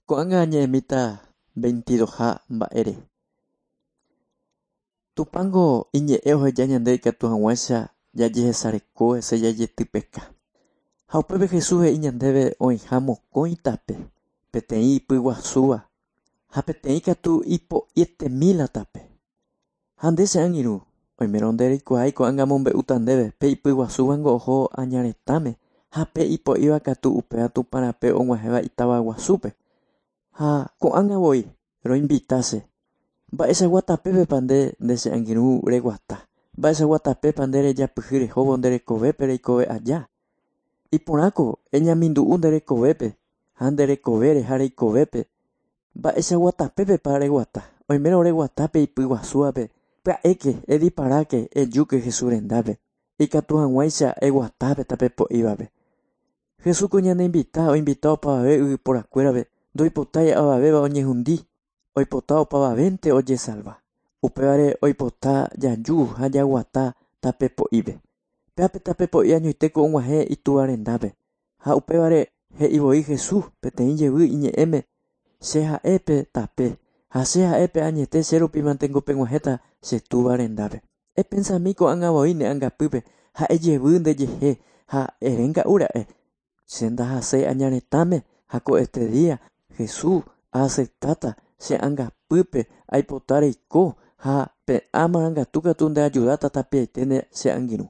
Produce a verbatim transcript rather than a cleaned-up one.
Ko'ág̃a añe'ẽmíta veintidoha mba'ére. Tupãngo iñe'ẽ oheja ñande ikatu hag̃uáicha jajehesareko hese jajetypeka. Ha upépe Jesús he'i ñandéve oĩha mokõi tape, peteĩ ipyguasúva ha peteĩ katu ipo'ietemíla tape. Ha nde che angirũ, oimérõ nde reikuaái ko'ág̃a mombe'úta ndéve pe ipyguasúvango oho añaretãme ha pe ipo'íva katu upéva Tupãrape og̃uahẽva itavaguasúpe. Ha ko'ág̃a voi roinvitase. Mba'eichagua tapépepa nde nde che angirũ reguata. Mba'eichagua tapépa nde rejapyhy rehóvo nde rekovépe reikove aja. Iporãko eñamindu'u nde rekovépe ha nde rekovére ha reikovépe. Mba'eichagua tapépepa reguata. Oimérõ reguata pe ipyguasúvape pya'éke ediparáke ejúke Jesús rendápe. Ikatu hag̃uáicha eguatápe tape po'ívape. Jesús ko ñaneinvita oinvita opavave yvyporakuérape ndoipotái avavéva oñehundi oipota opavavénte ojesalva. Upévare oipota jaju ha jaguata tape po'ípe. Péape tape po'i añoitéko og̃uahẽ itúva rendápe. Ha upévare he'ivoi Jesús peteĩ jevy iñe'ẽme che ha'épe tape ha che ha'épe añete che rupímantengo peg̃uahẽta che túva rendápe. Epensami ko'ág̃a voi ne angapýpe ha ejevy ndejehe ha erénga'úra'e che ndahaséi añaretãme ha ko este día Jesús aaceptáta che angapýpe aipota reiko ha pe amarangatu katu ndeayudáta tapiaite che angirũ.